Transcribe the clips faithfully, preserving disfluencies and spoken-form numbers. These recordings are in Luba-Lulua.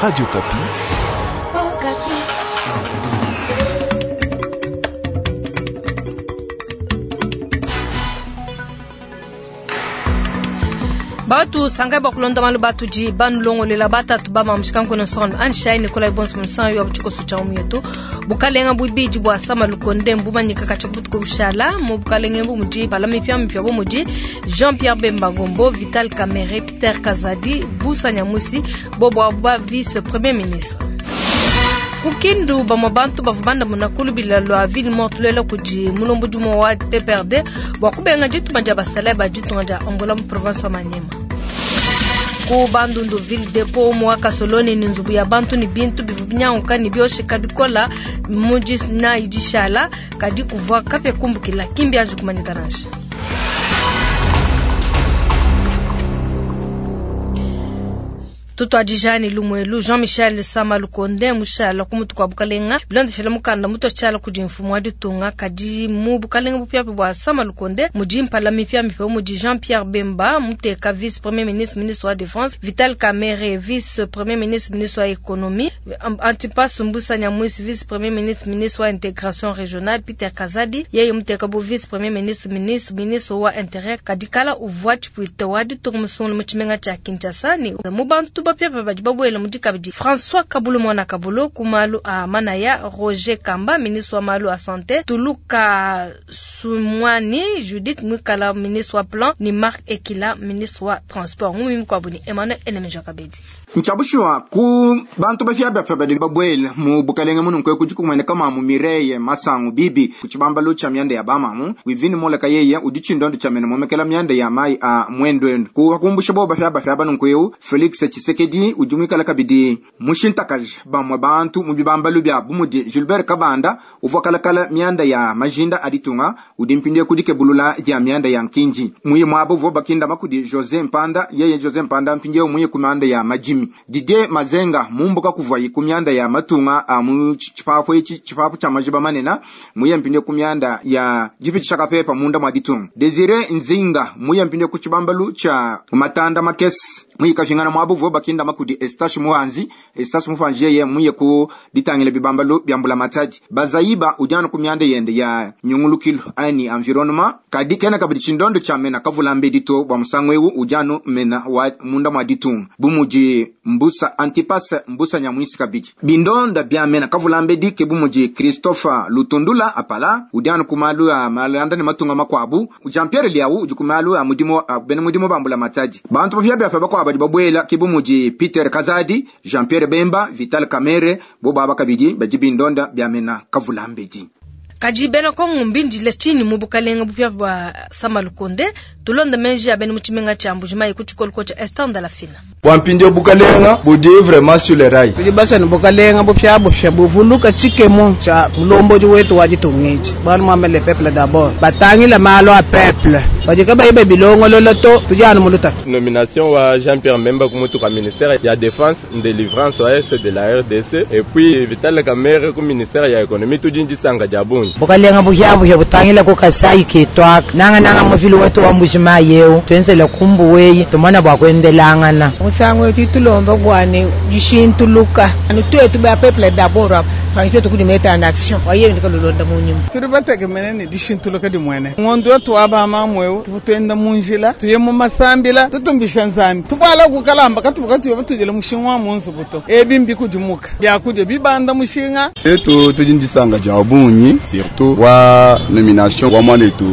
Radio Okapi. Batu sangai bakulonda malu batudi banulongolela batatu bamamushika nkono nsonga anshai Nikolai Bons musango ya buchiko sucha umyetu bukalenga bubidi bwa sama lukonde mbumanyika kacha butuko bushala mu bukalenga mbu mudi balami pya mpya bu mudi Jean-Pierre Bemba Gombo, Vital Kamerhe, Peter Kazadi, Mbusa Nyamwisi bobo ba vice premier ministre. Kukindu bamwe bantu bavubanda munakulu bila ville morte lela kudi mulombo dumo wa P P R D bwa kubenga dituma dia basala ba ditunga dia Angola mu province wa Maniema. Ku Bandundu ville depot mu Kasoloni ni nzubu ya bantu ni bintu bivubinyauka ni bioshika bikola muji na idishala kadi kuvwa kapya kumbukila kimbi azukumanyika nansha. Tutwadijani lumwelu Jean-Michel Sama Lukonde mushala kumutu kwa bukalenga bilondeshela mukanda muto chala kudi mfumu wa ditunga kadi mu bukalenga bupya bwa Sama Lukonde mudi mpala mipya mipya mudi Jean-Pierre Bemba muteka vice premier ministre ministre wa défense, Vital Kamerhe vice premier ministre ministre wa économie, Antipas Mbusa Nyamwisi vice premier ministre ministre wa intégration régionale, Peter Kazadi yeye muteka bu vice premier ministre ministre ministre wa intérieur kadi kala uvwa chipuita wa ditunga musungulu mu tshimenga tshia Kinshasa ni mu bantu bapya badi babwela mudi kabidi François Kabulo mwana Kabulo kumalu a manaya, Roger Kamba ministre wa malu a santé, Tuluka Sumwani Judith Mwikala ministre wa plan ni Marc Ekila ministre wa transport. Ngumi mkwabuni Emmanuel Enemeja Kabedi. Nchabushwa ku bantu bafya bafya badi babwela mu bukalenga munu nkwe kuji kumwene kama mu Mireye Masangu bibi kuchibamba lucha myande ya bamamu wivini mola kayeye udichindo cha mene momekela myande ya mai a mwendwe ku hakumbusha bo bafya bafya banu nkwe Felix Tshisekedi ujumwikala kabidi mushintakaje bamwe bantu mu bibamba lubya bumudi Gilbert Kabanda uvokalakala myanda ya majinda aditunga udimpindie kudikebulula ya myanda ya nkinji muye mwabo vo bakinda makudi Jose Mpanda yeye Jose Mpanda mpindie muye kumanda ya majimi Didier Mazenga mumbuka kuvayi kumyanda ya matunga a mu chipapo ichi chipapo cha majiba manena muye mpindie kumyanda ya jipi chaka pepa munda mwa ditunga Desire Nzinga muye mpindie kuchibambalu cha matanda makesi muye kafingana mwabo vo bakinda makudi Estache Muhanzi Estache Muhanzi yeye muye ku ditangile bibambalu byambula matadi bazaiba ujana kumyanda yende ya nyungulukilo ani environnement kadi kena kabidi chindondo cha mena kavulambe dito bwa musangwewu ujano mena wa munda mwa ditunga bumuji Mbusa Antipas Mbusa Nyamwisi kabidi bindonda bya mena kavulambe dike bumuji Christopher Lutundula apala ujano kumalu ya malanda ni matunga makwabu Jean Pierre Liau ujukumalu ya mudimo bene mudimo bambula matadi bantu bafya bya bakwa badi babwela kibumuji Peter Kazadi Jean Pierre Bemba Vital Kamerhe bo baba kabidi baji bindonda bya mena kavulambedi kaji bena kongo mbindi le chini mu bukalenga bupya bwa Sama Lukonde tulonda menji ya bene muchimenga cha Mbujimayi kuchikolo cha Estanda la Fina Wampindio bukalenga budi vraiment sur les rails. Tudi basana bukalenga bupya bupya buvuluka chikemo cha mulombo wetu wajitungeji. Bwana mwame le peuple d'abord. Batangila malo a peuple. Bajika bayibe bilongo loloto tujana muluta. Nomination wa Jean-Pierre Bemba kumutu kwa ministère ya défense délivrance wa S de la R D C et puis Vital Kamerhe ku ministère ya économie tujinji sanga jabungi. Bukalenga bupya bupya butangila ku Kasai kitwaka. Nanga nanga muvili wetu wa Mbujimayi yeo. Twenzele kumbuweyi tumona bwa kwendelangana. Musango titulomba bwane jishintuluka anu twetu ba peuple d'abord fanise tukudimeta en action waye ndikalolonda munyuma turi bategemene ni dishintuluka dimwene ngondo wetu aba mamwewo tuvutenda munjila tuye mu masambila tutumbisha nzambi tubala kukalamba katubuka tuye batujele mushinga wa munzu buto ebimbi kudimuka byakuja bibanda mushinga etu tujindisanga jabunyi surtout wa nomination wa mwanetu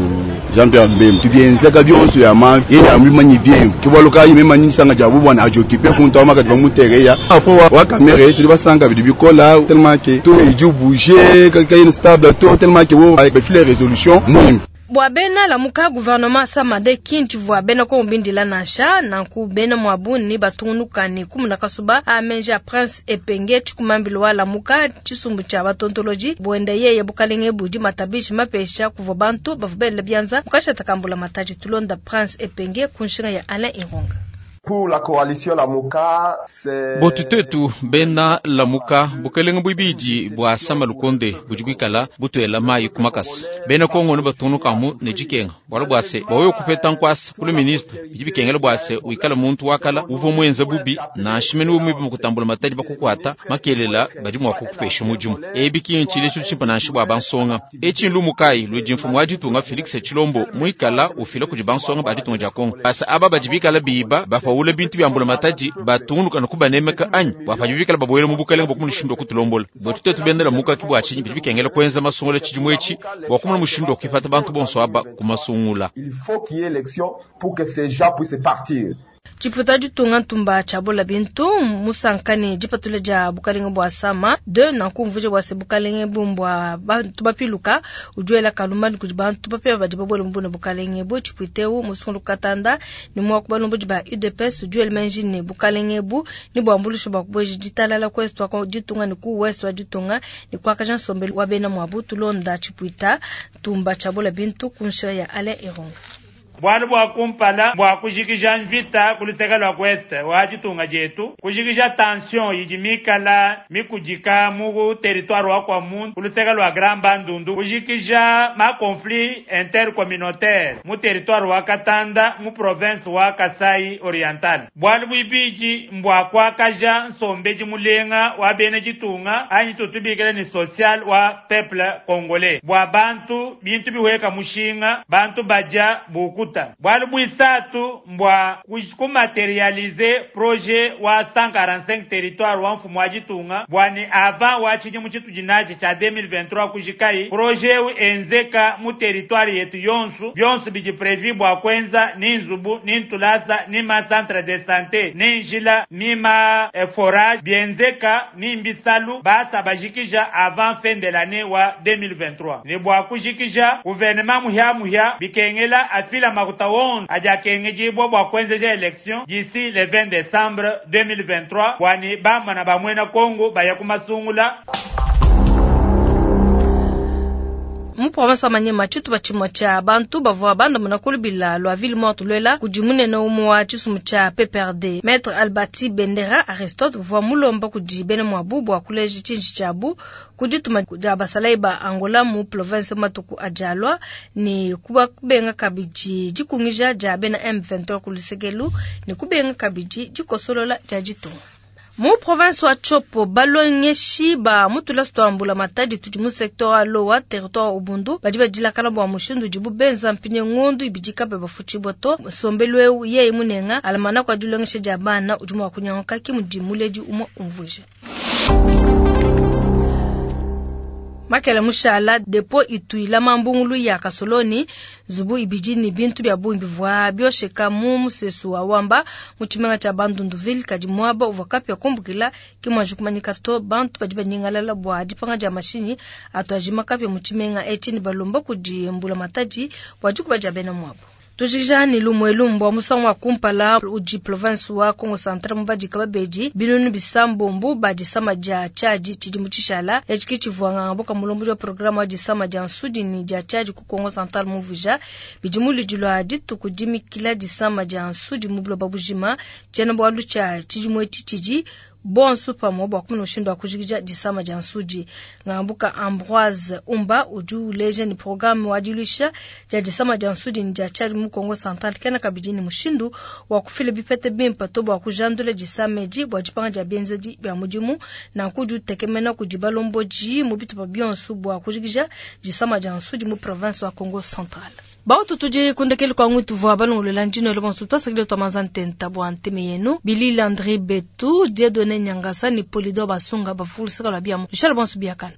Jean-Pierre Bemba tubienzeka byonso ya ma ye ya mimanyi bien kibaluka yimemanyi sanga jabu bwana ajokipe kuntu amaka bamutereya apo wa kamere tuli basanga bidibikola tellement que tout est dû bouger quelqu'un est stable tout tellement que vous avec les résolutions nous Bwa bena la muka gouvernement samade kinti vwa bena ko mbindila nasha nanku bena mwabuni batungunuka ni kumuna kasuba amenja Prince Epenge chikumambilo wa la muka chisumbu cha batontoloji bwenda yeye bukalenge budi matabishi mapesha kuvwa bantu bavubele byanza mukasha takambula mataji tulonda Prince Epenge kunshinga ya Alain Ironga. Pour la coalition Lamuka, c'est Botu tetu bena Lamuka bukelenge bwibidi bwa Sama Lukonde budi bwikala butwela mayi kumakasa bena Kongo ne batunukamu ne dikenga bwala bwase bawe kupeta nkwasa kulu ministre bidi bikengela bwase wikala muntu wakala uvo mwenza bubi na nshimeni wemwibi mukutambula matadi bakukwata makelela badi mwa kukupesha mudimu ebi kinchi lechu tshimpa na nshi bwa bansonga echi lumukai ludi mfumu wa ditunga Felix Tshilombo mwikala ufila kudi bansonga ba ditunga dia Kongo basa aba badi bikala biba bapaula bintu bya mbula matadi batungunuka no kubanemeka anyi bwapanyi bikala babwele mu bukelenge bwakumushindo kutulombola bwetu tetu bendela muka kibwa chinyi bidi bikengela kwenza masungula tshidimu etshi bwa kumona mushindo kifata bantu bonso aba kumasungula. Il faut qu'il y ait élection pour que ces gens puissent partir. Tshipuita ditunga ntumba tshiabola bintu musankani dipatula dia bukalenge bwa Sama de nankumvuje bwa se bukalenge bumbwa bantu bapiluka ujuela kalumani kudi bantu bapia badi babwele mbuna bukalenge bu tshipuiteu musungulu katanda ni mwa kubalombo ba U D P S ujuela menji ni bukalenge bu ni bwambulusho bwa kubweji ditalala kwesu kwa ditunga ni ku wesu wa ditunga ni kwa kajan sombeli wa bena mwa butulonda tshipuita ntumba tshiabola bintu kunshira ya Ale Ironga. Bwalu bwa kumpala bwa kujikija mvita kuluseka lwa kweste wa ditunga dietu kujikija tension idi mikala mikudika mu territoire wa kwa muntu kuluseka lwa Grand Bandundu kujikija ma conflit intercommunautaire mu territoire wa Katanda mu province wa Kasai Oriental. Bwalu bwibiji mbwa kwakaja nsombeji mulenga wa bene ditunga anyi tutubikile ni social wa peuple congolais bwa bantu bintu biweka mushinga bantu baja buku bwalu bwisatu mbwa kumaterialize projet wa cent quarante-cinq territoire wa mfumu wa ditunga bwani avant wa tshidimu tshitu dinachi tsha deux mille vingt-trois kujikai projet u enzeka mu territoire yetu yonsu byonsu bidi prevu bwa kwenza ni nzubu ni ntulasa ni ma centre de santé ni njila ni ma eh, forage bienzeka ni mbisalu basa bajikija avant fin de l'année wa deux mille vingt-trois ni bwa kujikija gouvernement muhya muhya bikengela afila makuta onze ajakengejibwa bwa kwenzeja election d'ici le vingt décembre deux mille vingt-trois bwani bamana bamwena Kongo baya kumasungula. Mu province wa Maniema tshitupa tshimue tshia bantu bavua bandamuna kulubila lua ville morte lwela kudi munene umue wa tshisumbu tshia P P R D Maître Albati Bendera Aristote uvua mulomba kudi bena muabu bua kuleja tshinji tshiabu ku dituma dia basalayi ba Angola mu province matuku ajalwa ni kuba kubenga kabidi dikungija dia bena M vingt-trois ku lusekelu ni kubenga kabidi dikosolola dia ditunga. Mu province wa Tshopo balongeshi ba mutula stwambula matadi tudi mu secteur wa Lowa territoire Ubundu badi badilakana bwa mushindu dibu benza mpinye ngondu ibidika be bafuchi boto sombelwe yeye munenga alamana kwa dilongeshe dia bana udi mwa kunyonga ki mudi umwe umvuje. Makele mushala depo ituila mambungulu ya kasoloni zubu ibiji ni bintu bya bungi bivwa byosheka mu musesu wa wamba mu tshimenga tsha Bandunduville kadi mwaba uvwa kapya kumbukila kimwanji kumanyika to bantu badi banyingalala bwa dipanga dia mashinyi atwajima kapya mu tshimenga etshi ni balomba kudi mbula matadi bwa dikuba dia bena mwabo. Tujijani lumwelu mbwa musangu wa kumpala uji province wa Kongo Central mubadi kababeji binunu bisambombu badi sama dia chaji tshidimu tshishala echiki tshivuanga mboka mulombo wa programme wa disama dia nsudi ni dia chaji ku Kongo Central muvuja bidimu lidilwa dituku dimikila disama dia nsudi mu buloba bujima tshiena bwalu tshia tshidimu etshi tshidi bonso pamwe bwa kumuna mushindu wa kujikija disama dia nsudi. Ngambuka Ambroise Umba udi uleja ni programme wa dilusha dia disama dia nsudi ni dia chali mu Kongo Central kena kabidi ni mushindu wa kufila bipete bimpa to bwa kujandula disama edi bwa dipanga dia benzedi bya mudimu na nkudu tekemena kudi balomboji mu bitupa bionso bwa kujikija disama dia nsudi mu province wa Kongo Central. Bautu tuje kundekele kwa ngutu vwa balongolela njino lo bonso twasakile twa ntenta bwa nteme yenu Billy Landry Betu Dieudonné Nyangasa ni Polido Basunga bafulusaka la biamo. Michel Bonso biakana.